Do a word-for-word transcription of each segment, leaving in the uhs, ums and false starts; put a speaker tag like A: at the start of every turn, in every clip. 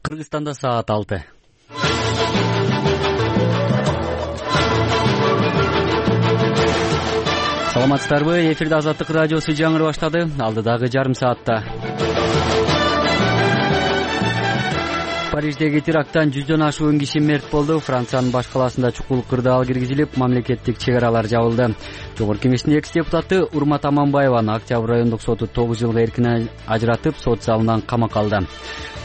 A: Кыргызстанда саат алты. Саламатсыздарбы? Эфирде Азаттык радиосу жаңыры баштады. Алдыдагы жарым саатта. Париждеги теракттан жүздөн ашуун киши мерт болду. Франциянын баш каласында чукул кырдаал киргизилип, мамлекеттик чек аралар жабылды. Жогорку кеңештин экс депутаты Урмат Аманбаеваны Октябрь райондук соту тогуз жылга эркине ажыратып, сот залынан камакка алды.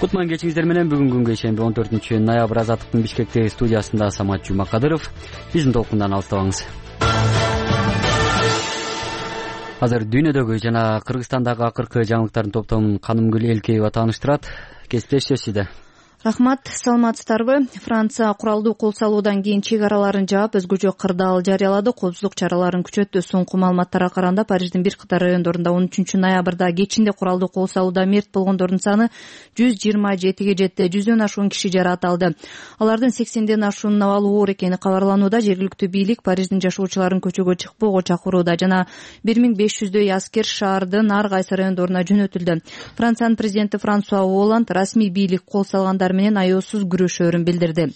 A: Кутман кечиңиздер менен бүгүн күнгө ишемби он төртүнчү ноябрь Азаттыктын Бишкектеги студиясында Самат Жумакадыров. Биздин толкундан алыстабаңыз. Азыр дүйнөдөгү жана Кыргызстандагы акыркы жаңылыктардын топтомун Канымгүл Элкеева тааныштырат. Кесиптеш сизде.
B: Рахмат, саламатсыздарбы? Франция куралдуу кол салуудан кийин чек араларын жаап, өзгөчө кырдаал жарыялады. Коопсуздук чараларын күчөттү. Соңку маалыматтарга караганда Париждин бир катар райондорунда он үчүнчү ноябрда кечинде куралдуу кол салууда мерт болгондордун саны жүз жыйырма жетиге жетти. Жүздөн ашуун киши жаракат алды. Алардын сексенден ашуунун абалы оор экени кабарланууда. Жергиликтүү бийлик Париждин жашоочуларын көчөгө чыкпоого чакырууда жана бир миң беш жүздөй аскер шаардын ар кайсы райондоруна жөнөтүлдү. Франциянын президенти Франсуа Олланд расмий бийлик кол салгандар менен аеосуз күрөшөөрүн билдирди.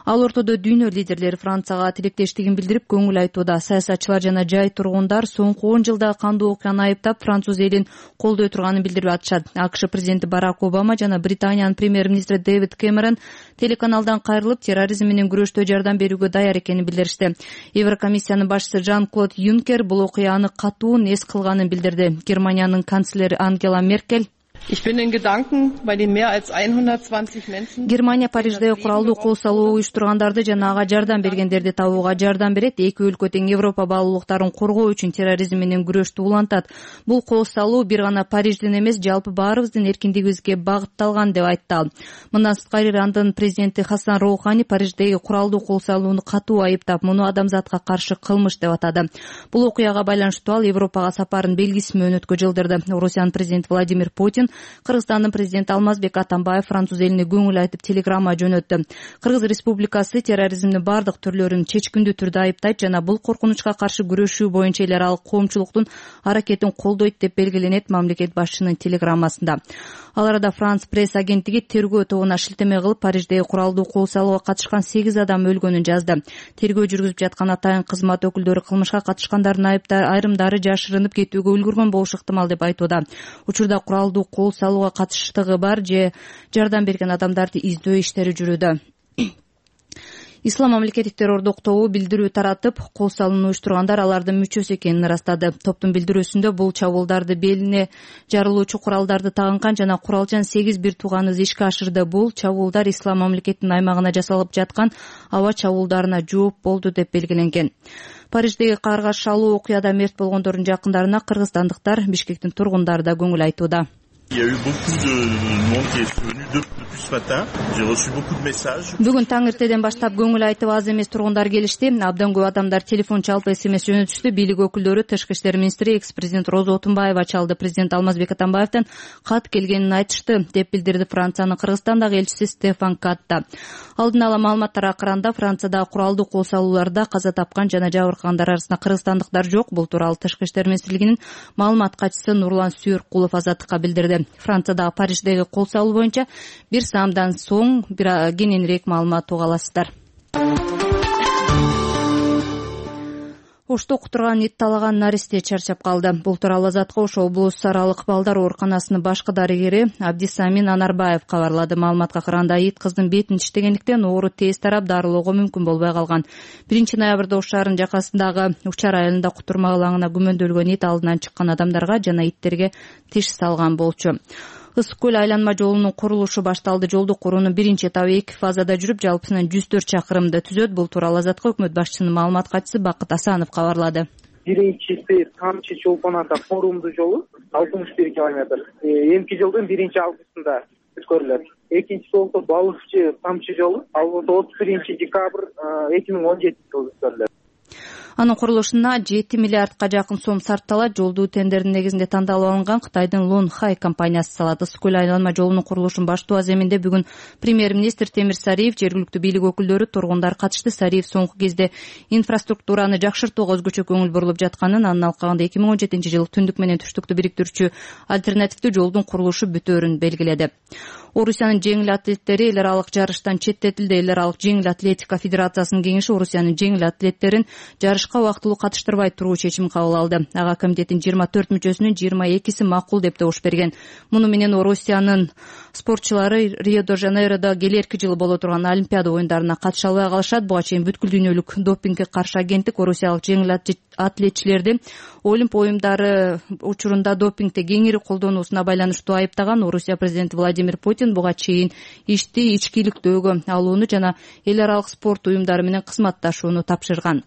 B: Ал ортодо дүйнө лидерлери Францияга тилектештигин билдирип, көңүл айтууда. Саясатчылар жана жай тургундар соңку он жылда кандуу окуяны айыптап, француз элин колдой турганын билдирип атышат. АКШ президенти Барак Обама жана Британиянын премьер-министри Дэвид Кэмерон телеканалдан кайрылып, терроризм менен күрөштө жардам берүүгө даяр экенин билдиришти. Еврокомиссиянын башчысы Жан-Клод Юнкер бул окуяны катуу эс кылганын билдирди. Германиянын канцлери Ангела Меркель
C: Ich bin in Gedanken bei den mehr als hundertzwanzig Menschen.
B: Германия Парижде куралдуу кол салуу уюштургандарды жана ага жардам бергендерди табууга жардам берет. Эки өлкө тең Европа баалуулуктарын коргоо үчүн терроризм менен күрөштү улантат. Бул кол салуу бир гана Париждин эмес, жалпы баарыбыздын эркиндигибизге багытталган деп айтты ал. Мындан сырткары Ирандын президенти Хасан Роухани Париждеги куралдуу кол салууну катуу айыптап, муну адамзатка каршы кылмыш деп атады. Бул окуяга байланыштуу ал Европага сапарын белгисиз мөөнөткө жылдырды. Орусиянын президенти Владимир Путин Кыргызстандын президенти Алмазбек Атамбаев француз элине көңүл айтып телеграмма жөнөттү. Кыргыз Республикасы терроризмдин бардык түрлөрүн чечкиндүү түрдө айыптайт жана бул коркунучка каршы күрөшүү боюнча эл аралык коомчулуктун аракетин колдойт деп белгиленет мамлекет башчысынын телеграммасында. Ал арада Франс пресс агенттиги тергөө тобуна шилтеме кылып, Париждеги куралдуу кол салууга катышкан сегиз адам өлгөнүн жазды. Тергөө жүргүзүп жаткан атайын кызмат өкүлдөрү кылмышка катышкандардын айрымдары жашырынып кетүүгө үлгүргөн болушу ыктымал деп айтууда. Учурда куралдуу кол салууга катыштыгы бар же жардам берген адамдарды издөө иштери жүрүүдө. Ислам мамлекеттиктер ордоктобу билдирүү таратып, кол салууну уюштургандар алардын мүчөсү экенин ырастады. Топтун билдирүүсүндө бул чабуулдарды белине жарылуучу куралдарды тагынган жана куралчан сегиз бир тууганыбыз ишке ашырды. Бул чабуулдар Ислам мамлекеттин аймагына жасалып жаткан аба чабуулдарына жооп болду деп белгиленген. Париждеги каргашалуу окуяда мерт болгондордун жакындарына кыргызстандыктар, Бишкектин тургундары да көңүл айтууда. Бүгүн таң эртеден баштап көңүл айтып аз эмес тургундар келишти. Абдан көп адамдар телефон чалып смс жөнөтүштү. Бийлик өкүлдөрү Тышкы иштер министри экс-президент Роза Отунбаева чалды. Президент Алмазбек Атамбаевден кат келгенин айтышты деп билдирди Франциянын Кыргызстандагы элчиси Стефан Катта. Алдын ала маалыматтарга караганда Францияда куралдуу кол салууларда каза тапкан жана жабыркагандар арасында кыргызстандыктар жок. Бул тууралуу Тышкы иштер министрлигинин маалымат катчысы Нурлан Сүйөркулов Азаттыкка билдирди. Францияда Париждеги кол салуу боюнча бир саамдан соң бир кененирээк маалымат уга аласыздар. Ошто кутурган ит талаган наристе чарчап калды. Бул тууралуу Азатка Ош облус аралык балдар ооруканасынын башкы дарыгери Абдисамин Анарбаев кабарлады. Маалыматка караганда ит кыздын бетин тиштегендиктен оору тез тарап дарылоого мүмкүн болбой калган. биринчи ноябрда Ош шаарынын жакасындагы Учар айылында кутурма ылаңына күмөндөлгөн ит алдынан чыккан адамдарга жана иттерге тиш салган болчу. Ысык көл айланма жолунун курулушу башталды. Жолду куруунун биринчи этабы эки фазада жүрүп, жалпысынан жүз төрт чакырымды түзөт. Бул тууралуу Азатка өкмөт башчысынын маалымат катчысы Бакыт Асанов кабарлады.
D: Биринчиси Тамчы Чолпон ата форумдуу жолу алтымыш бир километр. Эмки жылдын биринчи августунда өткөрүлөт. Экинчиси болсо Балыкчы Тамчы жолу, ал болсо отуз биринчи декабрь эки миң он жетинчи жылы өткөрүлөт.
B: Анын курулушуна жети миллиардка жакын сом сарпталат. Жолдуу тендердин негизинде тандалып алынган Кытайдын Лонхай компаниясы салат. Ысык көл айланма жолунун курулушун баштоо аземинде бүгүн премьер-министр Темир Сариев, жергиликтүү бийлик өкүлдөрү, тургундар катышты. Сариев соңку кезде инфраструктураны жакшыртууга өзгөчө көңүл бурулуп жатканын, анын алкагында эки миң он жетинчи жылы түндүк менен түштүктү бириктирүүчү альтернативдүү жолдун курулушу бүтөөрүн белгиледи. Орусиянын жеңил атлеттери эл аралык жарыштан четтетилди. Эл аралык жеңил атлетика федерациясынын кеңеши Орусиянын жеңил атлеттерин жарышка убактылуу катыштырбай туруу чечим кабыл алды. Ага комитеттин жыйырма төрт мүчөсүнүн жыйырма экиси макул деп добуш берген. Муну менен Орусиянын спортчулары Рио-де-Жанейродо келерки жылы боло турган Олимпиада оюндарына катыша албай калышат. Буга чейин бүткүл дүйнөлүк допингге каршы агенттик орусиялык жеңил атлетчилерди Олимп оюндары учурунда допингди кеңири колдонуусуна байланыштуу айыптаган. Орусия президенти Владимир Путин буга чейин ишти ичкиликтөөгө алууну жана эл аралык спорт уюмдары менен кызматташууну тапшырган.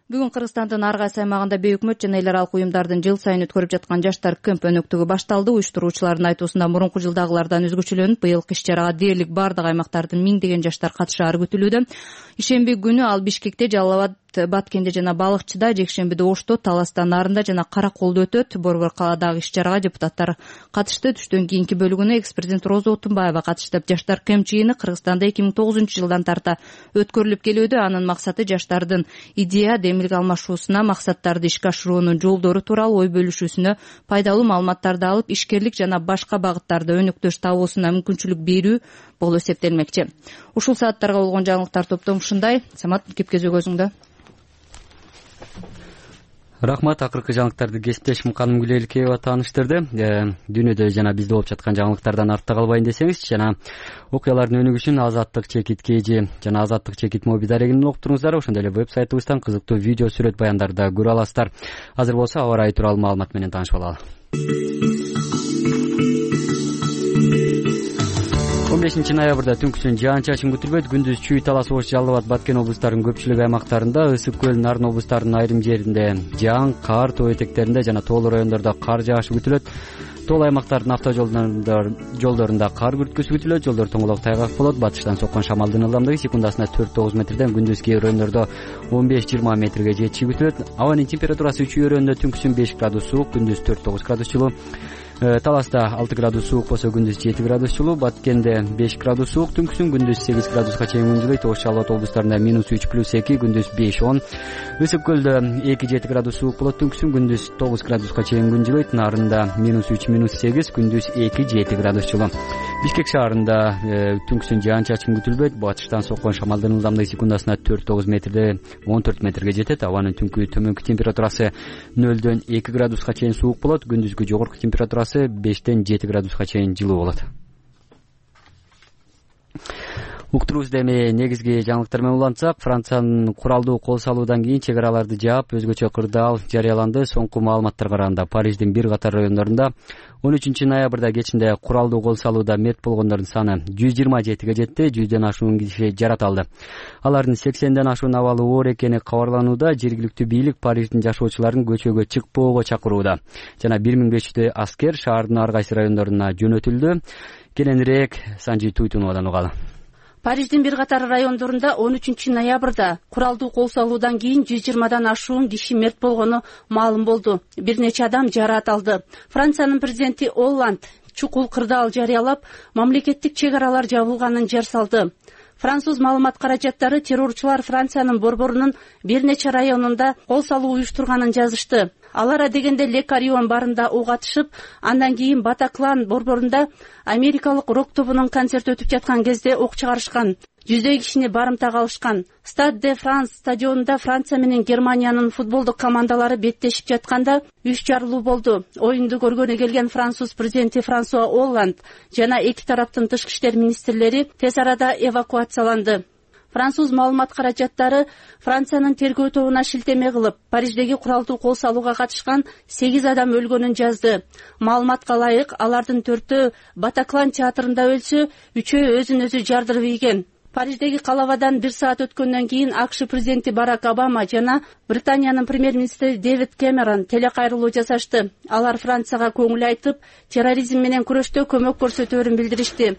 B: Бүгүн Кыргызстандын ар кайсы аймагында бейөкмөт жана эл аралык уюмдардын жыл сайын өткөрүп жаткан жаштар кемп өнөктүгү башталды. Уюштуруучулардын айтуусунда мурунку жылдагылардан өзгөчөлөнүп, быйылкы иш-чарага дээрлик бардык аймактардын миңдеген жаштар катышаары күтүлүүдө. Ишемби күнү ал Бишкекте, Жалал Абад, Баткенде жана Балыкчыда, жекшембиде Ошто, Таласта, Нарында жана Караколдо өтөт. Борбор калаадагы иш-чарага депутаттар катышты. Түштөн кийинки бөлүгүнө экс-президент Роза Отунбаева катышты. Жаштар кемп жыйыны Кыргызстанда эки миң тогузунчу жылдан тарта өткөрүлүп келүүдө. Анын максаты жаштардын идея, демилге алмашуусуна, максаттарды ишке ашыруунун жолдору тууралуу ой бөлүшүүсүнө, пайдалуу маалыматтарды алып, ишкерлик жана башка багыттарда өнөктөш табуусуна мүмкүнчүлүк берүү болуп эсептелмекчи. Ушул сааттарга болгон жаңылыктар топтом ушундай. Самат, кепкезүү көзүңдө.
A: Рахмат. Акыркы жаңылыктарды кесиптешим Каным Гүлеликеева тааныштырды. Дүйнөдө жана бизде болуп жаткан жаңылыктардан артта калбайын десеңиз, жана окуялардын өнүгүшүн Азаттык чекит kg жана Азаттык чекит моби дарегинен окуптуруңуздар. Ошондой эле веб-сайтыбыздан кызыктуу видео, сүрөт, баяндарды да көрө аласыздар. Азыр болсо аба ырайы тууралуу маалымат менен таанышып алалы. он бешинчи ноябрда түнкүсүн жаан-чачын күтүлбөйт. Күндүз Чүй, Талас, Ош, Жалал Абад, Баткен облустарынын көпчүлүк аймактарында, Ысык көл, Нарын облустарынын айрым жеринде жаан, кар, тоо этектеринде жана тоолуу райондордо кар жаашы күтүлөт. Тоол аймактардын автожолдорунда жолдорунда кар күрткүсү күтүлөт. Жолдор тоңолок тайгак болот. Батыштан соккон шамалдын ылдамдыгы секундасына төрт тогуз метрден, күндүз кээ бир райондордо он беш жыйырма метрге жетиши күтүлөт. Абанын температурасы үч үй өрөөнүндө түнкүсүн беш градус суук, күндүз төрт тогуз градус жылуу. Таласта алты градус суук болсо, күндүз жети градус жылуу. Баткенде беш градус суук, түнкүсүн күндүз сегиз градуска чейин күн жылыйт. Ош, Жалал Абад облустарында минус үч плюс эки, күндүз беш он. Ысык көлдө эки жети градус суук болот, түнкүсүн күндүз тогуз градуска чейин күн жылыйт. Нарында минус үч минус сегиз, күндүз эки жети градус жылуу. Бишкек шаарында түнкүсүн жаан-чачын күтүлбөйт. Батыштан соккон шамалдын ылдамдыгы секундасына төрт тогуз метрде он төрт метрге жетет. Абанын түнкү төмөнкү температурасы нөлдөн эки градуска чейин суук болот. Күндүзгү жогорку температурасы бештен жети градуска чейин жылуу болот. Уктурубузда эми негизги жаңылыктар менен улантсак, Франциянын куралдуу кол салуудан кийин чек араларды жаап, өзгөчө кырдаал жарыяланды. Соңку маалыматтарга караганда Париждин бир катар райондорунда он үчүнчү ноябрда кечинде куралдуу кол салууда мерт болгондордун саны жүз жыйырма жетиге жетти. жүздөн ашуун киши жарат алды. Алардын сексенден ашуун абалы оор экени кабарланууда. Жергиликтүү бийлик Париждин жашоочуларын көчөгө чыкпоого чакырууда. Жана бир миң беш жүздөй аскер шаардын ар кайсы райондоруна жөнөтүлдү. Кененирээк Санжи Туйтуновадан угалы.
E: Париждин бир катар райондорунда он үчүнчү ноябрда куралдуу кол салуудан кийин жүз жыйырмадан ашуун киши мерт болгону маалым болду. Бир нече адам жараат алды. Франциянын президенти Олланд чукул кырдаал жарыялап, мамлекеттик чек аралар жабылганын жар салды. Француз маалымат каражаттары террорчулар Франциянын борборунун бир нече районунда кол салуу уюштурганын жазышты. Алар адегенде Ле Карион барында ок атышып, андан кийин Батаклан борборунда америкалык рок тобунун концерти өтүп жаткан кезде ок чыгарышкан. Жүздөй кишини барымтага алышкан. Стад де Франс стадионунда Франция менен Германиянын футболдук командалары беттешип жатканда үч жарылуу болду. Оюнду көргөнү келген француз президенти Франсуа Олланд жана эки тараптын тышкы иштер министрлери тез арада эвакуацияланды. Француз маалымат каражаттары Франциянын тергөө тобуна шилтеме кылып, Париждеги куралдуу кол салууга катышкан сегиз адам өлгөнүн жазды. Маалыматка ылайык, алардын төртөө Батаклан театрында өлсө, үчөө өзүн өзү жардырып ийген. Париждеги калабадан бир саат өткөндөн кийин АКШ президенти Барак Обама жана Британиянын премьер-министри Дэвид Кэмерон телекайрылуу жасашты. Алар Францияга көңүл айтып, терроризм менен күрөштө көмөк көрсөтөөрүн билдиришти.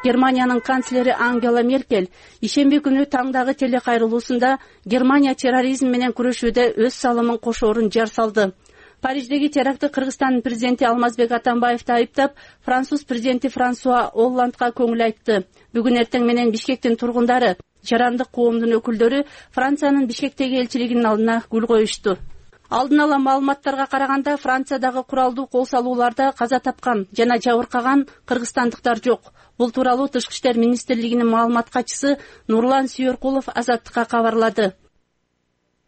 E: Германиянын канцлери Ангела Меркель ишемби күнү таңдагы телекайрылуусунда Германия терроризм менен күрөшүүдө өз салымын кошоорун жар салды. Париждеги терактты Кыргызстандын президенти Алмазбек Атамбаевди айыптап, француз президенти Франсуа Олландга көңүл айтты. Бүгүн эртең менен Бишкектин тургундары, жарандык коомдун өкүлдөрү Франциянын Бишкектеги элчилигинин алдына гүл коюшту. Алдын ала маалыматтарга караганда, Франциядагы куралдуу кол салууларда каза тапкан жана жабыркаган кыргызстандыктар жок. Бул тууралуу Тышкы иштер министрлигинин маалымат катчысы Нурлан Сүйөркулов Азаттыкка кабарлады.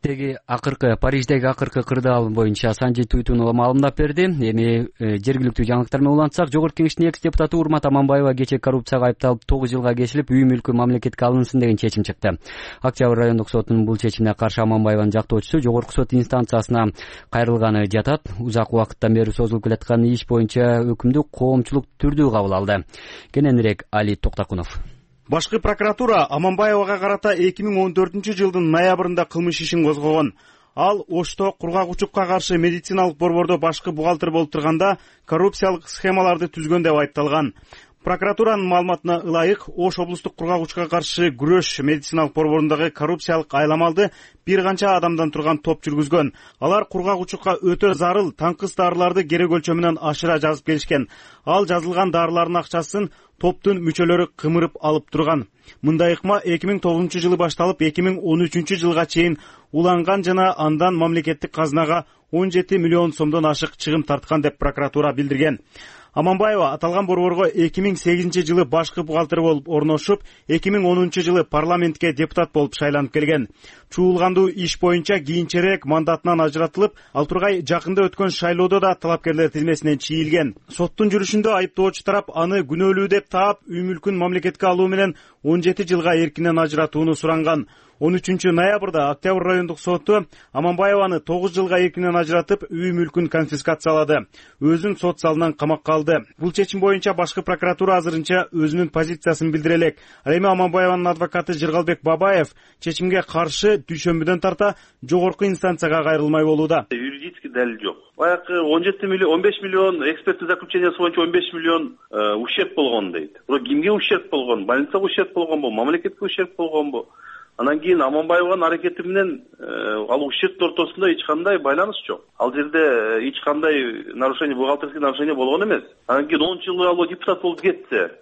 A: Теги акыркы Париждеги акыркы кырдаал боюнча Санжи Туйтунова маалымдап берди. Эми жергиликтүү жаңылыктар менен улантсак, Жогорку Кеңештин экс депутаты Урмат Аманбаева кечээ коррупцияга айыпталып тогуз жылга кесилип, үй мүлкү мамлекетке алынсын деген чечим чыкты. Октябрь райондук сотунун бул чечимине каршы Аманбаеванын жактоочусу Жогорку сот инстанциясына кайрылганы жатат. Узак убакыттан бери созулуп келаткан иш боюнча өкүмдү коомчулук түрдүү кабыл алды. Кененирээк Али Токтакунов.
F: Башкы прокуратура Аманбаевага карата эки миң он төртүнчү жылдын ноябрында кылмыш ишин козгогон. Ал Ошто кургак учукка каршы медициналык борбордо башкы бухгалтер болуп турганда коррупциялык схемаларды түзгөн деп айыпталган. Прокуратуранын маалыматына ылайык, Ош облустук кургак учукка каршы күрөш медициналык борборундагы коррупциялык айламалды бир канча адамдан турган топ жүргүзгөн. Алар кургак учукка өтө зарыл таңкыс дарыларды керек өлчөмүнөн ашыра жазып келишкен. Ал жазылган дарылардын акчасын топтун мүчөлөрү кымырып алып турган. Мындай ыкма эки миң тогузунчу жылы башталып, эки миң он үчүнчү жылга чейин уланган жана андан мамлекеттик казынага он жети миллион сомдон ашык чыгым тарткан деп прокуратура билдирген. Аманбаева аталган борборго эки миң сегизинчи жылы башкы бухгалтер болуп орношуп, эки миң онунчу жылы парламентке депутат болуп шайланып келген. Чуулгандуу иш боюнча кийинчерээк мандатынан ажыратылып, ал тургай жакында өткөн шайлоодо да талапкерлер тизмесинен чийилген. Соттун жүрүшүндө айыптоочу тарап аны күнөөлүү деп таап, үй мүлкүн мамлекетке алуу менен он жети жылга эркинен ажыратууну суранган. он үчүнчү ноябрда Октябрь райондук соту Аманбаеваны тогуз жылга эркинен ажыратып, үй мүлкүн конфискациялады. Өзүн сот залынан камакка алды. Бул чечим боюнча башкы прокуратура азырынча өзүнүн позициясын билдире элек. Ал эми Аманбаеванын адвокаты Жыргалбек Бабаев чечимге каршы дүйшөмбүдөн тарта жогорку инстанцияга кайрылмай болууда.
G: Юридический далил жок. Баягы он жети миллион, он беш миллион экспертный заключениясы боюнча он беш миллион ущерб болгон дейт. Бирок кимге ущерб болгон? Больницага ущерб болгонбу? Мамлекетке ущерб болгонбу? Анан кийин Аманбаеванын аракети менен ал ущербтин ортосунда эч кандай байланыш жок. Ал жерде эч кандай нарушение, бухгалтерский нарушение болгон эмес. Анан кийин он жыл ал депутат болуп кетсе,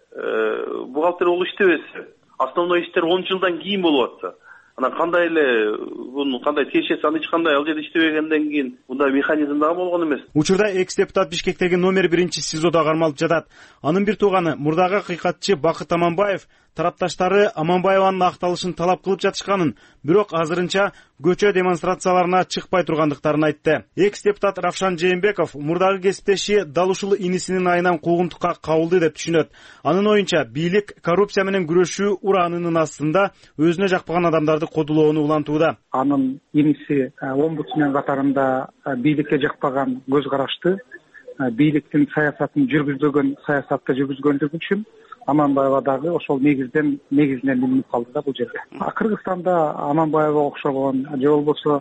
G: бухгалтер болуп иштебесе, основной иштер он жылдан кийин болуп атса, анан кандай эле муну кандай тиешеси, аны эч кандай ал жерде иштебегенден кийин мындай механизм дагы болгон эмес.
F: Учурда экс депутат Бишкектеги номер биринчи СИЗОдо кармалып жатат. Анын бир тууганы, мурдагы акыйкатчы Бакыт Аманбаев тарапташтары Аманбаеванын акталышын талап кылып жатышканын, бирок азырынча көчө демонстрацияларына чыкпай тургандыктарын айтты. Экс депутат Равшан Жээнбеков мурдагы кесиптеши дал ушул инисинин айынан куугунтукка кабылды деп түшүнөт. Анын оюнча, бийлик коррупция менен күрөшүү ураанынын астында өзүнө жакпаган адамдарды кодулоону улантууда.
H: Анын иниси омбудсмен катарында бийликке жакпаган көз карашты, бийликтин саясатын жүргүзбөгөн саясатты жүргүзгөндүгү үчүн Аманбаева дагы ошол негизден негизинен илинип калды да бул жерде. Кыргызстанда Аманбаева окшогон, же болбосо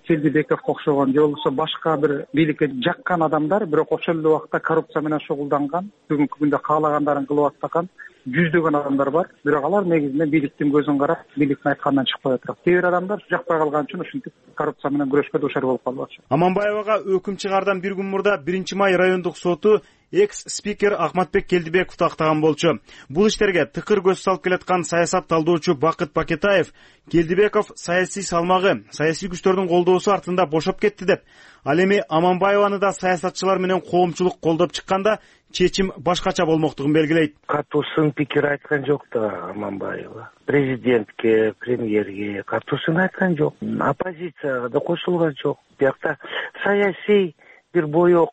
H: Келдибековго окшогон, же болбосо башка бир бийликке жаккан адамдар, бирок ошол эле убакта коррупция менен шугулданган, бүгүнкү күндө каалагандарын кылып аткан жүздөгөн адамдар бар. Бирок алар негизинен бийликтин көзүн карап, бийликтин айтканынан чыкпай отурат. Кээ бир адамдар жакпай калган үчүн ушинтип коррупция менен күрөшкө дуушар болуп калып атышат.
F: Аманбаевага өкүм чыгардан бир күн мурда биринчи май райондук соту экс-спикер Ахматбек Келдибековду актаган болчу. Бул иштерге тыкыр көз салып келаткан саясат талдоочу Бакыт Пакетаев Келдибеков саясий салмагы, саясий күчтөрдүн колдоосу артында бошоп кетти деп, ал эми Аманбаеваны да саясатчылар менен коомчулук колдоп чыкканда чечим башкача болмоктугун белгилейт.
I: Катуу сын пикир айткан жок да Аманбаева. Президентке, премьерге катуу сын айткан жок. Оппозицияга да кошулган жок. Биякта саясий бир боек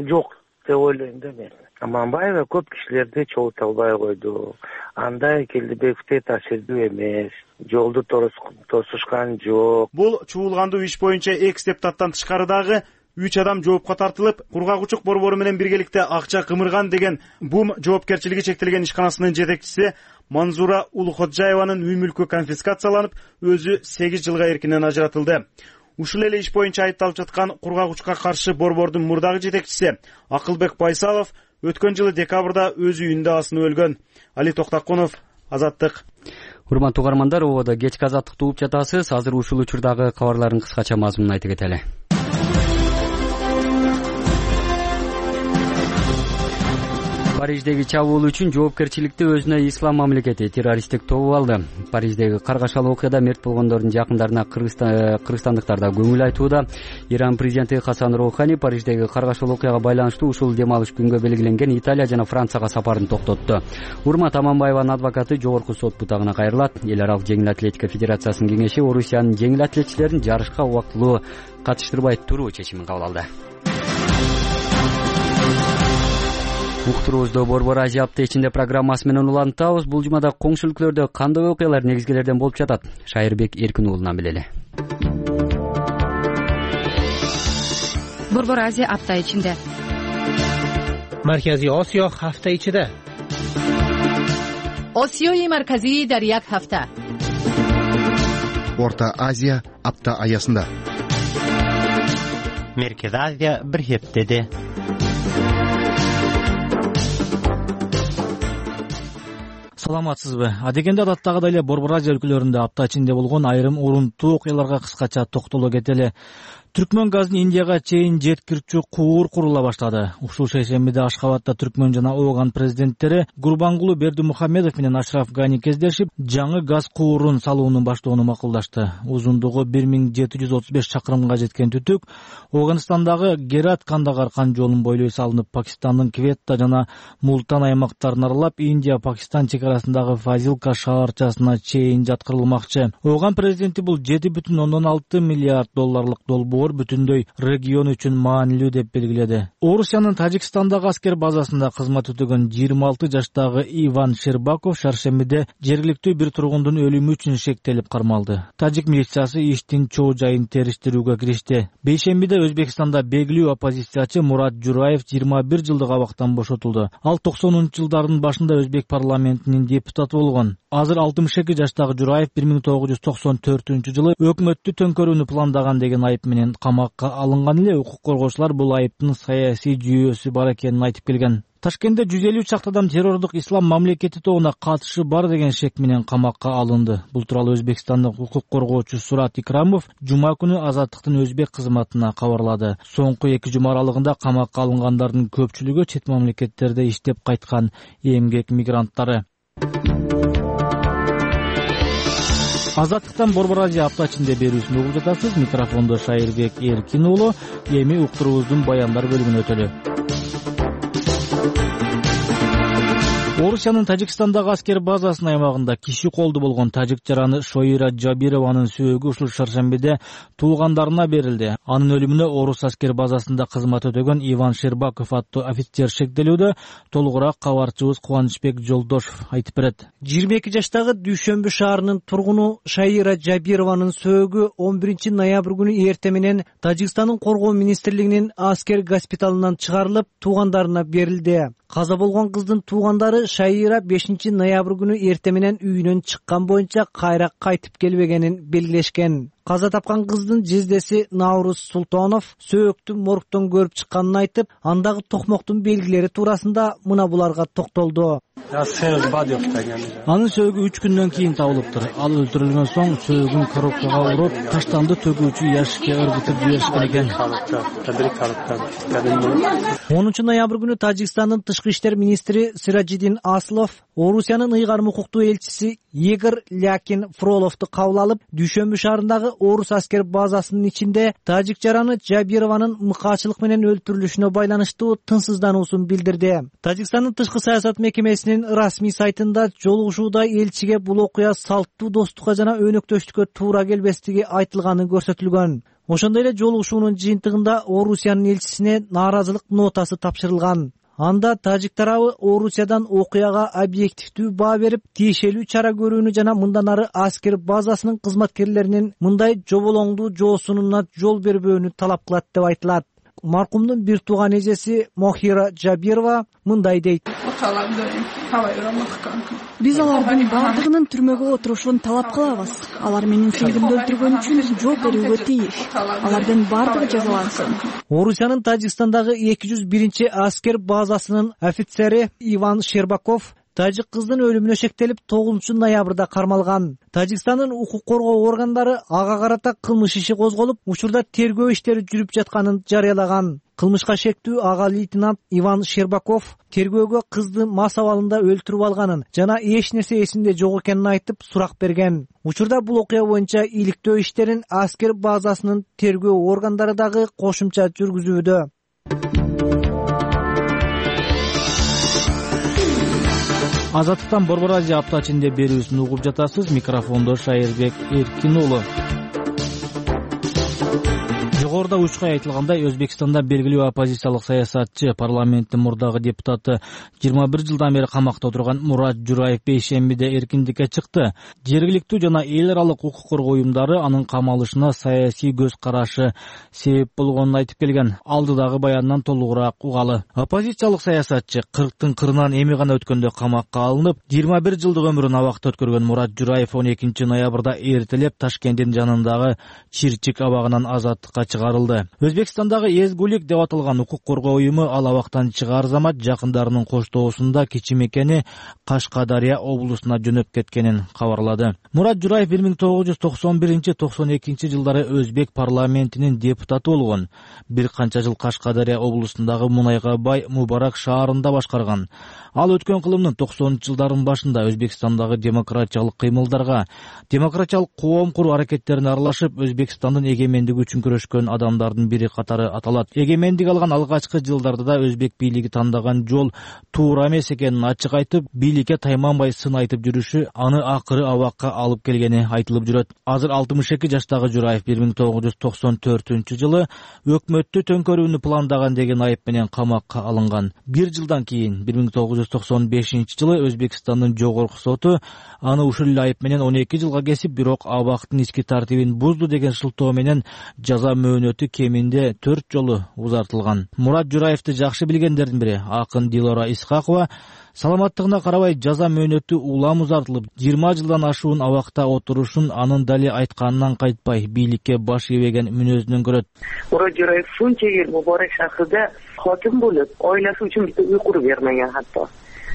I: жок деп ойлойм да мен. Аманбаева көп кишилерди чогулта албай койду. Андай Келдибековде таасирдүү эмес. Жолду тосушкан жок.
F: Бул чуулгандуу иш боюнча экс депутаттан тышкары дагы үч адам жоопко тартылып, кургак учук борбору менен биргеликте акча кымырган деген БУМ жоопкерчилиги чектелген ишканасынын жетекчиси Манзура Улуходжаеванын үй мүлкү конфискацияланып, өзү сегиз жылга эркинен ажыратылды. Ушул эле иш боюнча айыпталып жаткан кургак учукка каршы борбордун мурдагы жетекчиси Акылбек Байсалов өткөн жылы декабрда өз үйүндө асынып өлгөн. Али Токтакунов, Азаттык.
A: Урматтуу угармандар, ободо кечки азаттыкты угуп жатасыз. Азыр ушул учурдагы кабарлардын кыскача мазмунун айтып кетели. Париждеги чабуул үчүн жоопкерчиликти өзүнө ислам мамлекети террористтик тобу алды. Париждеги каргашалуу окуяда мерт болгондордун жакындарына кыргызстандыктар да көңүл айтууда. Иран президенти Хасан Роухани Париждеги каргашалуу окуяга байланыштуу ушул дем алыш күнгө белгиленген Италия жана Францияга сапарын токтотту. Урмат Аманбаеванын адвокаты жогорку сот бутагына кайрылат. Эл аралык жеңил атлетика федерациясынын кеңеши Орусиянын жеңил атлетчилерин жарышка убактылуу катыштырбай туруу чечимин кабыл алды. Уктуруубузду Борбор Азия апта ичинде программасы менен улантабыз. Бул жумада коңшу өлкөлөрдө кандай окуялар негизгилерден болуп жатат? Шайырбек Эркин уулунан билели.
J: Борбор Азия апта ичинде.
K: Марказий Осиё ҳафта ичиде.
J: Осиёи марказӣ дар як ҳафта.
L: Орта Азия апта аясында.
M: Меркез Азия бир хептеде.
N: Саламатсызбы? Адегенде адаттагыдай эле Борбор Азия өлкөлөрүндө апта ичинде болгон айрым урунтуу окуяларга кыскача токтоло кетели. Түркмөн газын Индияга чейин жеткирүүчү куур курула баштады. Ушул шейшембиде Ашхабадда Түркмөн жана Ооган президенттери Гурбангулу Бердимухамедов менен Ашраф Гани кездешип, жаңы газ куурун салуунун баштоону макулдашты. Узундугу бир миң жети жүз отуз беш чакырымга жеткен түтүк Оганстандагы Герат Кандагар кан жолун бойлой салынып, Пакистандын Кветта жана Мултан аймактарын аралап, Индия-Пакистан чек арасындагы Фазилка шаарчасына чейин жаткырылмакчы. Ооган президенти бул жети бүтүн ондон алты миллиард долларлык долбоор бүтүндөй регион үчүн маанилүү деп белгиледи. Орусиянын Тажикстандагы аскер базасында кызмат өтөгөн жыйырма алты жаштагы Иван Щербаков шаршембиде жергиликтүү бир тургундун өлүмү үчүн шектелип кармалды. Тажик милициясы иштин чоо жайын териштирүүгө киришти. Бейшембиде Өзбекстанда белгилүү оппозициячы Мурат Жураев жыйырма бир жылдык абактан бошотулду. Ал токсонунчу жылдардын башында Өзбек парламентинин депутаты болгон. Азыр алтымыш эки жаштагы Жураев бир миң тогуз жүз токсон төртүнчү жылы өкмөттү төңкөрүүнү пландаган деген айып менен камакка алынган эле. Укук коргоочулар бул айыптын саясий жүйөөсү бар экенин айтып келген. Ташкентте жүз элүү чакты адам террордук ислам мамлекети тобуна катышы бар деген шек менен камакка алынды. Бул тууралуу Өзбекстандык укук коргоочу Сурат Икрамов жума күнү Азаттыктын өзбек кызматына кабарлады. Соңку эки жума аралыгында камакка алынгандардын көпчүлүгү чет мамлекеттерде иштеп кайткан эмгек мигранттары. Азаттыктан Борбор Азия апта ичинде берүүсүн угуп жатасыз. Микрофондо Шайырбек Эркин уулу. Эми уктуруубуздун баяндар бөлүмүнө өтөлү. Орусиянын Тажикстандагы аскер базасынын аймагында киши колду болгон тажик жараны Шоира Жабированын сөөгү ушул шаршембиде туугандарына берилди. Анын өлүмүнө орус аскер базасында кызмат өтөгөн Иван Щербаков аттуу офицер шектелүүдө. Толугураак кабарчыбыз Кубанычбек Жолдошов айтып берет.
K: жыйырма эки жаштагы Дүйшөмбү шаарынын тургуну Шоира Жабированын сөөгү он биринчи ноябрь күнү эрте менен Тажикстандын коргоо министрлигинин аскер госпиталынан чыгарылып, туугандарына берилди. Каза болгон кыздын туугандары Шаира бешинчи ноябрь күнү эрте менен үйүнөн чыккан боюнча кайра кайтып келбегенин белгилешкен. Каза тапкан кыздын жездеси Наурuz Султонов сөөктү моргтон көрүп чыкканын айтып, андагы токмоктун белгилери туурасында мына буларга токтолду.
N: Анын сөөгү үч күндөн кийин табылыптыр. Ал өлтүрүлгөн соң сөөгүн коробкага уруп, таштанды төгүүчү яшикке ыргытып жиберишкен экен.
K: онунчу ноябрь күнү Тажикстандын тышкы иштер министри Сираджидин Аслов Орусиянын ыйгарым укуктуу элчиси Игорь Лякин Фроловду кабыл алып, Дүйшөмбү шаарындагы орус аскер базасынын ичинде тажик жараны Жабированын мыкаачылык менен өлтүрүлүшүнө байланыштуу тынчсыздануусун билдирди. Тажикстандын тышкы саясат мекемесинин расмий сайтында жолугушууда элчиге бул окуя салттуу достукка жана өнөктөштүккө туура келбестиги айтылганы көрсөтүлгөн. Ошондой эле жолугушуунун жыйынтыгында Орусиянын элчисине нааразылык нотасы тапшырылган. Анда тажик тарабы Орусиядан окуяга объективдүү баа берип, тиешелүү чара көрүүнү жана мындан ары аскер базасынын кызматкерлеринин мындай жоболоңдуу жоосунуна жол бербөөнү талап кылат деп айтылат. Маркумдун бир тууган эжеси Мохира Жабирова мындай дейт.
O: Биз алардын бардыгынын түрмөгө отурушун талап кылабыз. Алар менин сиңдимди өлтүргөн үчүн жооп берүүгө тийиш. Алардын бардыгы жазалансын.
K: Орусиянын Тажикстандагы эки жүз биринчи аскер базасынын офицери Иван Щербаков тажик кыздын өлүмүнө шектелип тогузунчу ноябрда кармалган. Тажикстандын укук коргоо органдары ага карата кылмыш иши козголуп, учурда тергөө иштери жүрүп жатканын жарыялаган. Кылмышка шектүү ага лейтенант Иван Щербаков тергөөгө кызды мас абалында өлтүрүп алганын жана эч нерсе эсинде жок экенин айтып сурак берген. Учурда бул окуя боюнча иликтөө иштерин аскер базасынын тергөө органдары дагы кошумча жүргүзүүдө. Азаттыктан Борбор Азия апта ичинде берүүсүн угуп жатасыз. Микрофондо Шайырбек Эркин уулу. Жогоруда учкай айтылгандай, Өзбекстанда белгилүү оппозициялык саясатчы, парламенттин мурдагы депутаты жыйырма бир жылдан бери камакта отурган Мурат Жураев бейшембиде эркиндикке чыкты. Жергиликтүү жана эл аралык укук коргоо уюмдары анын камалышына саясий көз карашы себеп болгонун айтып келген. Алдыдагы баянынан толугураак угалы. Оппозициялык саясатчы кырктын кырынан эми гана өткөндө камакка алынып, жыйырма бир жылдык өмүрүн абакта өткөргөн Мурат Жураев он экинчи ноябрда эртелеп Ташкенттин жанындагы Чирчик абагынан азаттыкка чыгарылды. Өзбекстандагы Эзгулик деп аталган укук коргоо уюму ал абактан чыгаар замат жакындарынын коштоосунда кичимекени Кашкадария облусуна жөнөп кеткенин кабарлады. Мурат Жураев бир миң тогуз жүз токсон биринчи токсон экинчи жылдары Өзбек парламентинин депутаты болгон. Бир канча жыл Кашкадария облусундагы мунайга бай Мубарак шаарында башкарган. Ал өткөн кылымдын токсонунчу жылдардын башында Өзбекстандагы демократиялык кыймылдарга, демократиялык коом куруу аракеттерине аралашып, Өзбекстандын эгемендиги үчүн күрөшкөн адамдардын бири катары аталат. Эгемендик алган алгачкы жылдарда да Өзбек бийлиги тандаган жол туура эмес экенин ачык айтып, бийликке тайманбай сын айтып жүрүшү аны акыры абакка алып келгени айтылып жүрөт. Азыр алтымыш эки жаштагы Жураев бир миң тогуз жүз токсон төртүнчү жылы өкмөттү төңкөрүүнү пландаган деген айып менен камакка алынган. Бир жылдан кийин бир миң тогуз жүз токсон бешинчи жылы Өзбекстандын жогорку соту аны ушул эле айып менен он эки жылга кесип, бирок абактын ички тартибин бузду деген шылтоо менен жаза мөөнөтү кеминде төрт жолу узартылган. Мурат Жураевди жакшы билгендердин бири акын Дилора Исхакова саламаттыгына карабай жаза мөөнөтү улам узартылып, жыйырма жылдан ашуун абакта отурушун анын дали айтканынан кайтпай, бийликке баш ийбеген мүнөзүнөн көрөт.
P: Мурат Жураев шунча эл Мубарак шаарында хаким болуп, ойласы үчүн бизде уйкур бермеген хатта.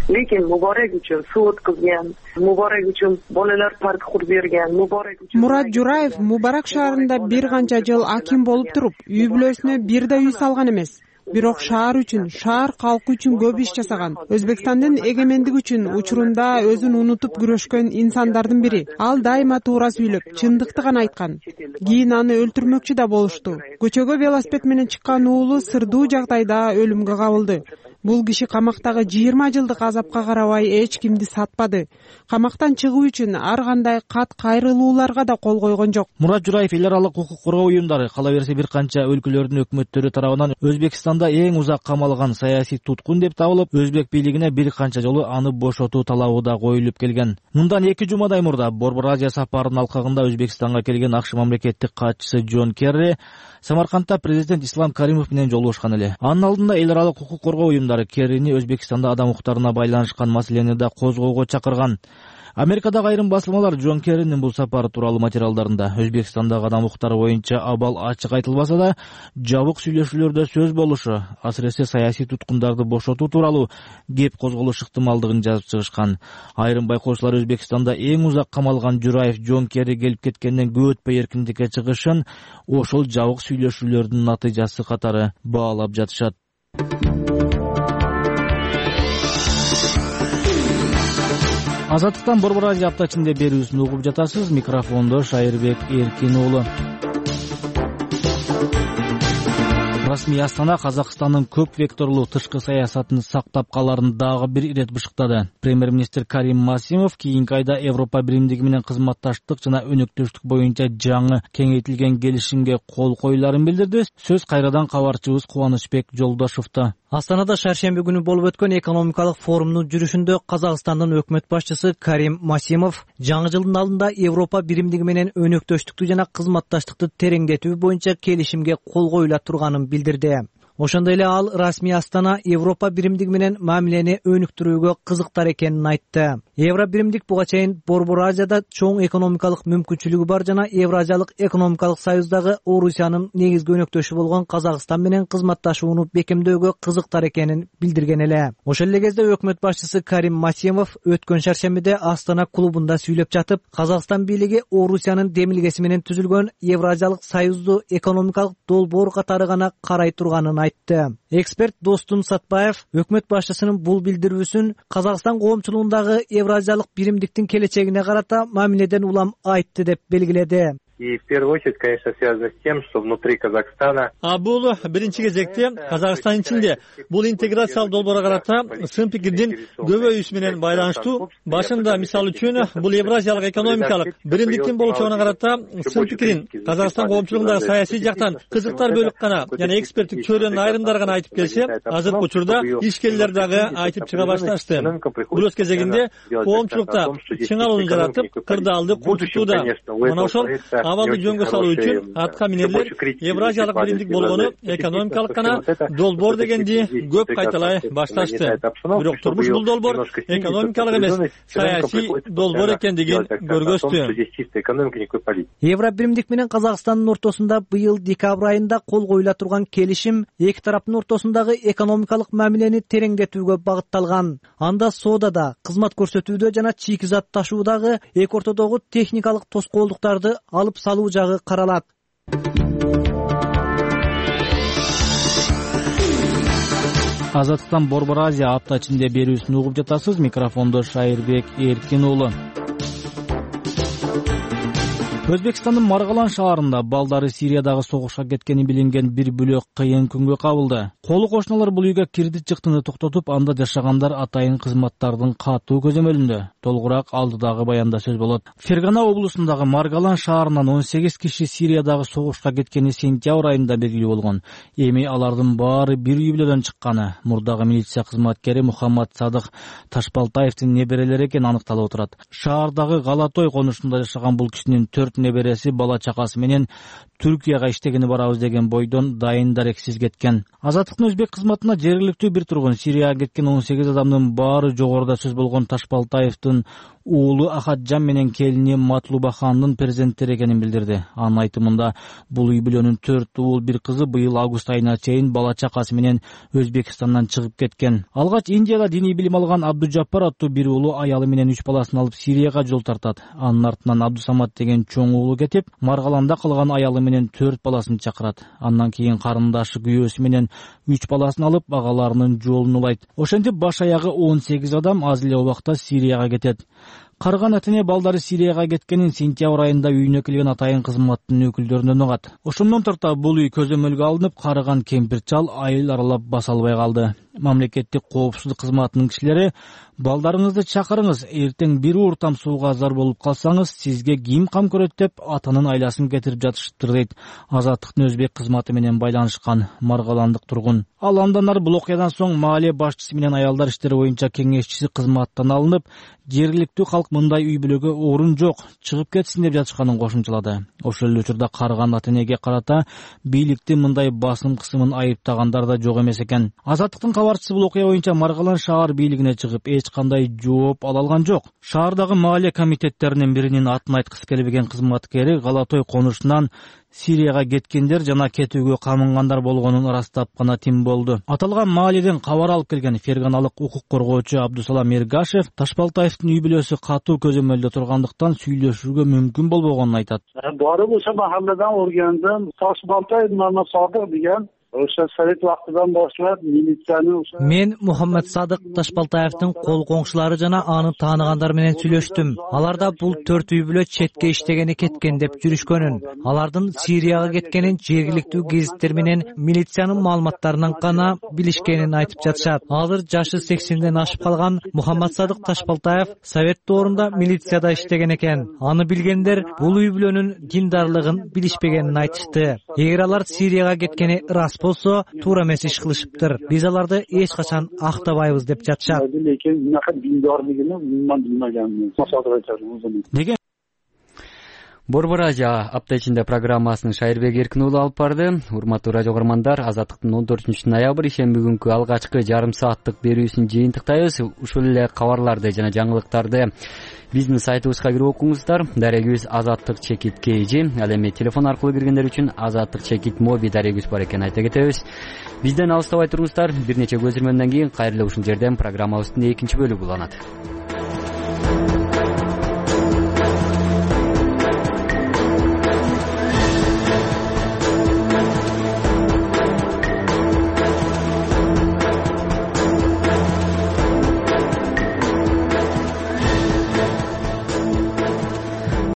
P: Lekin Muborak uchun suv o'tkazgan, Muborak uchun bolalar park qurib bergan, Muborak uchun
Q: Мурат Жураев Мубарак шаарында бир канча жыл аким болуп туруп, үй бүлөсүнө бир да үй салган эмес. Бирок шаар үчүн, шаар калкы үчүн көп иш жасаган. Өзбекстандын эгемендиги үчүн учурунда өзүн унутуп күрөшкөн инсандардын бири. Ал дайыма туура сүйлөп, чындыкты гана айткан. Кийин аны өлтүрмөкчү да болушту. Көчөгө велосипед менен чыккан уулу сырдуу жагдайда өлүмгө кабылды. Бул киши камактагы жыйырма жылдык азапка карабай эч кимди сатпады. Камактан чыгуу үчүн ар кандай кат кайрылууларга да кол койгон жок.
N: Мурат Жураев эл аралык укук коргоо уюмдары, кала берсе бир канча өлкөлөрдүн өкмөттөрү тарабынан Өзбекстанда эң узак камалган саясий туткун деп табылып, Өзбек бийлигине бир канча жолу аны бошотуу талабы да коюлуп келген. Мындан эки жумадай мурда Борбор Азия сапарынын алкагында Өзбекстанга келген АКШ мамлекеттик катчысы Джон Керри Самаркандта президент Ислам Каримов менен жолугушкан эле. Анын алдында эл аралык укук коргоо уюмдары Керрини Өзбекстанда адам укуктарына байланышкан маселени да козгоого чакырган. Америкадагы айрым басылмалар Джон Керринин бул сапары тууралуу материалдарында Өзбекстандагы адам укуктары боюнча абал ачык айтылбаса да, жабык сүйлөшүүлөрдө сөз болушу, асыресе саясий туткундарды бошотуу тууралуу кеп козголуш ыктымалдыгын жазып чыгышкан. Айрым байкоочулар Өзбекстанда эң узак камалган Жураев Джон Керри келип кеткенден көп өтпөй эркиндикке чыгышын ошол жабык сүйлөшүүлөрдүн натыйжасы катары баалап жатышат. Азаттыктан Борбор Азия апта ичинде берүүсүн угуп жатасыз. Микрофондо Шайырбек Эркин уулу. Расмий Астана Казакстандын көп векторлуу тышкы саясатын сактап каларын дагы бир ирет бышыктады. Премьер-министр Карим Масимов кийинки айда Европа биримдиги менен кызматташтык жана өнөктөштүк боюнча жаңы кеңейтилген келишимге кол коюларын билдирди. Сөз кайрадан кабарчыбыз Кубанычбек Жолдошовдо.
K: Астанада шаршемби күнү болуп өткөн экономикалык форумдун жүрүшүндө Казакстандын өкмөт башчысы Карим Масимов жаңы жылдын алдында Европа биримдиги менен өнөктөштүктү жана кызматташтыкты тереңдетүү боюнча келишимге кол коюла турганын билдирди. Ошондой эле ал расмий Астана Европа биримдиги менен мамилени өнүктүрүүгө кызыктар экенин айтты. Евро биримдик буга чейин Борбор Азияда чоң экономикалык мүмкүнчүлүгү бар жана Евразиялык экономикалык союздагы Орусиянын негизги өнөктөшү болгон Казакстан менен кызматташууну бекемдөөгө кызыктар экенин билдирген эле. Ошол эле кезде өкмөт башчысы Карим Масемов өткөн шаршембиде Астана клубунда сүйлөп жатып, Казакстан бийлиги Орусиянын демилгеси менен түзүлгөн Евразиялык союзду экономикалык долбоор катары гана карай турганын айтты. Эксперт Достун Сатпаев өкмөт башчысынын бул билдирүүсүн Казакстан коомчулугундагы Евразиялык биримдиктин келечегине карата мамиледен улам айтты деп белгиледи.
R: И в первую очередь, конечно, связано с тем, что внутри Казахстана...
S: А бул биринчи кезекте Казакстан ичинде бул интеграциялык долбоорго карата сын пикирдин көбөйүүсү менен байланыштуу. Башында, мисалы үчүн, бул Евразиялык экономикалык биримдиктин болчогуна карата сын пикирин Казакстан коомчулугундагы саясий жактан кызыктар бөлүк гана, жана эксперттик чөйрөнүн айрымдары гана айтып келсе, азыркы учурда ишкерлер дагы айтып чыга башташты. Бул өз кезегинде коомчулукта чыңалууну жаратып, кырдаалды курчутууда. Мына ошол абалды жөнгө салуу үчүн атка минерлер Евразиялык биримдик болгону экономикалык гана долбоор дегенди көп кайталай башташты. Бирок турмуш бул долбоор экономикалык эмес, саясий долбоор экендигин көргөздү.
K: Евро биримдик менен Казакстандын ортосунда быйыл декабрь айында кол коюла турган келишим эки тараптын ортосундагы экономикалык мамилени тереңдетүүгө багытталган. Анда соодада, кызмат көрсөтүүдө жана чийки зат ташуудагы эки ортодогу техникалык тоскоолдуктарды алып салуу жагы каралат.
N: Азаттыктан Борбор Азия апта ичинде берүүсүн угуп жатасыз. Микрофондо Шайырбек Эркин уулу. Өзбекстандын Маргалан шаарында балдары Сириядагы согушка кеткени билинген бир бүлөк кыйын күнгө кабылды. Колу кошуналар бул үйгө кирди чыктыны токтотуп, анда жашагандар атайын кызматтардын катуу көзөмөлүндө. Толугураак алдыдагы баянда сөз болот. Фергана облусундагы Маргалан шаарынан он сегиз киши Сириядагы согушка кеткени сентябрь айында белгилүү болгон. Эми алардын баары бир үй бүлөдөн чыкканы. Мурдагы милиция кызматкери Мухаммад Садык Ташпалтаевдин неберелери экени аныкталып отурат. Шаардагы Галатой конушунда жашаган бул кишинин төрт небереси бала чакасы менен Түркияга иштегени барабыз деген бойдон дайын дарексиз кеткен. Азаттыктын өзбек кызматына жергиликтүү бир тургун Сирияга кеткен он сегиз адамдын баары жогоруда сөз болгон Ташпалтаевдин уулу Ахатжан менен келини Матлубахандын перзенттери экенин билдирди. Анын айтымында бул үй бүлөнүн төрт уул бир кызы быйыл август айына чейин бала чакасы менен Өзбекстандан чыгып кеткен. Алгач Индияда диний билим алган Абдужаппар аттуу бир уулу аялы менен үч баласын алып Сирияга жол тартат. Анын артынан Абдусамат деген чоң уулу кетип, Маргаланда калган аялы менен төрт баласын чакырат. Андан кийин карындашы күйөөсү менен үч баласын алып агаларынын жолун улайт. Ошентип баш аягы он сегиз адам аз эле убакта Сирияга кетет. Карган атене балдары Сирияга кеткенин сентябрь айында үйүнө келген атайын кызматтын өкүлдөрүнөн угат. Ошондон тарта бул үй көзөмөлгө алынып, карыган кемпир чал айыл аралап баса албай калды. Мамлекеттик коопсуздук кызматынын кишилери балдарыңызды чакырыңыз, эртең бир ууртам сууга зар болуп калсаңыз, сизге ким кам көрөт деп атанын айласын кетирип жатышыптыр дейт. Азаттыктын өзбек кызматы менен байланышкан маргаландык тургун. Ал андан ары бул окуядан соң маале башчысы менен аялдар иштери боюнча кеңешчиси кызматтан алынып, жергиликтүү калк мындай үй бүлөгө орун жок, чыгып кетсин деп жатышканын кошумчалады. Ошол эле учурда карыган атенеге карата бийликтин мындай басым кысымын айыптагандар да жок эмес экен. Азаттыктын кабарчысы бул окуя боюнча Маргалан шаар бийлигине чыгып, эч кандай жооп ала алган жок. Шаардагы маале комитеттеринин биринин атын айткысы келбеген кызматкери Галатой конушунан Сирияга кеткендер жана кетүүгө камынгандар болгонун ырастап гана тим болду. Аталган мааледен кабар алып келген ферганалык укук коргоочу Абдусалам Эргашев Ташпалтаевдин үй бүлөсү катуу көзөмөлдө тургандыктан сүйлөшүүгө мүмкүн болбогонун айтат.
T: Барып ошо махалладан ургандым. Ташпалтаев Мамат Садык деген ошо совет вактыдан башлап милицияны
K: Мен Мухаммад Садык Ташпалтаевдин кол коңшулары жана аны тааныгандар менен сүйлөштүм. Аларда бул төрт үй бүлө четке иштегени кеткен деп жүрүшкөнүн, алардын Сирияга кеткенин жергиликтүү гезиттер менен милициянын маалыматтарынан гана билишкенин айтып жатышат. Азыр жашы сексенден ашып калган Мухаммад Садык Ташпалтаев совет доорунда милицияда иштеген экен. Аны билгендер бул үй бүлөнүн диндарлыгын билишпегенин айтышты. Эгер алар Сирияга кеткени рас болсо, туура эмес иш кылышыптыр. Биз аларды эч качан актабайбыз деп жатышат.
N: Деген
A: Борбор Азия апта ичинде программасын Шайырбек Эркин уулу алып барды. Урматтуу радио көрөрмандар, Азаттыктын он төртүнчү ноябрь ишемби күнкү алгачкы жарым сааттык берүүсүн жыйынтыктайбыз. Ушул эле кабарларды жана жаңылыктарды биздин сайтыбызга кирип окуңуздар. Дарегибиз Азаттык чекит kg. Ал эми телефон аркылуу киргендер үчүн Азаттык чекит моби дарегибиз бар экенин айта кетебиз. Бизден алыстабай туруңуздар. Бир нече көзүрмөндөн кийин кайрылып ушул жерден программабыздын экинчи бөлүгү уланат.